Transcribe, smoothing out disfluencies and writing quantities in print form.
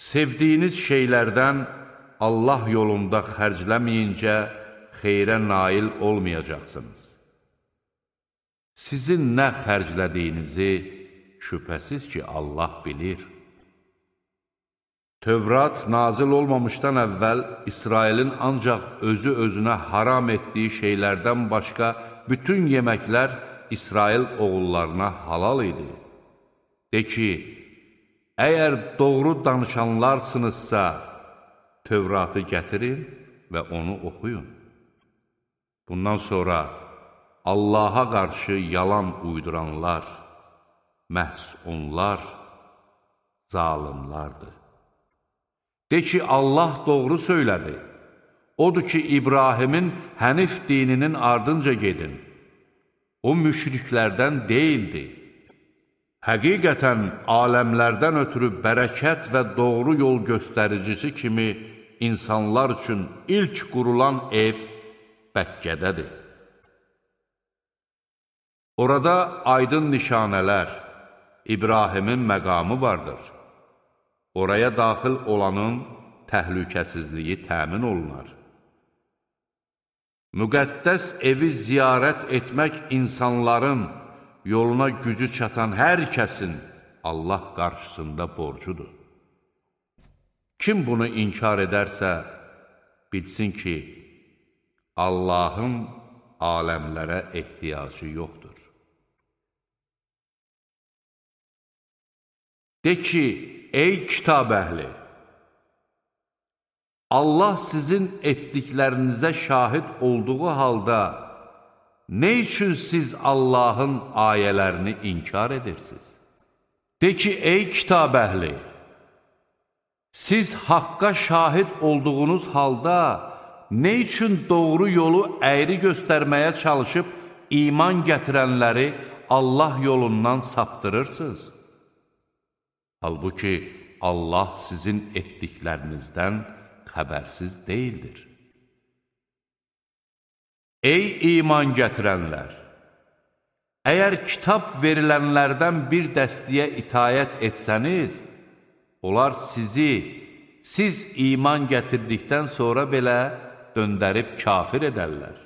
Sevdiyiniz şeylərdən Allah yolunda xərcləməyincə xeyrə nail olmayacaqsınız. Sizin nə xərclədiyinizi şübhəsiz ki, Allah bilir. Tövrat nazil olmamışdan əvvəl İsrailin ancaq özü-özünə haram etdiyi şeylərdən başqa bütün yeməklər İsrail oğullarına halal idi. De ki, əgər doğru danışanlarsınızsa, Tövratı gətirin və onu oxuyun. Bundan sonra Allaha qarşı yalan uyduranlar, məhz onlar zalimlardır. De ki, Allah doğru söylədi. Odur ki, İbrahimin Hənif dininin ardınca gedin. O müşriklərdən deyildi. Həqiqətən, aləmlərdən ötürü bərəkət və doğru yol göstəricisi kimi insanlar üçün ilk qurulan ev Bəkkədədir. Orada aydın nişanələr, İbrahimin məqamı vardır. Oraya daxil olanın təhlükəsizliyi təmin olunar. Müqəddəs evi ziyarət etmək insanların yoluna gücü çatan hər kəsin Allah qarşısında borcudur. Kim bunu inkar edərsə, bilsin ki, Allahın aləmlərə ehtiyacı yoxdur. De ki, ey kitab əhli! Allah sizin etdiklərinizə şahid olduğu halda, nə üçün siz Allahın ayələrini inkar edirsiniz? De ki, ey kitab əhli! Siz haqqa şahid olduğunuz halda, nə üçün doğru yolu əyri göstərməyə çalışıb iman gətirənləri Allah yolundan saptırırsınız? Halbuki Allah sizin etdiklərinizdən xəbərsiz deyildir. Ey iman gətirənlər! Əgər kitab verilənlərdən bir dəstəyə itayət etsəniz, onlar siz iman gətirdikdən sonra belə döndərib kafir edərlər.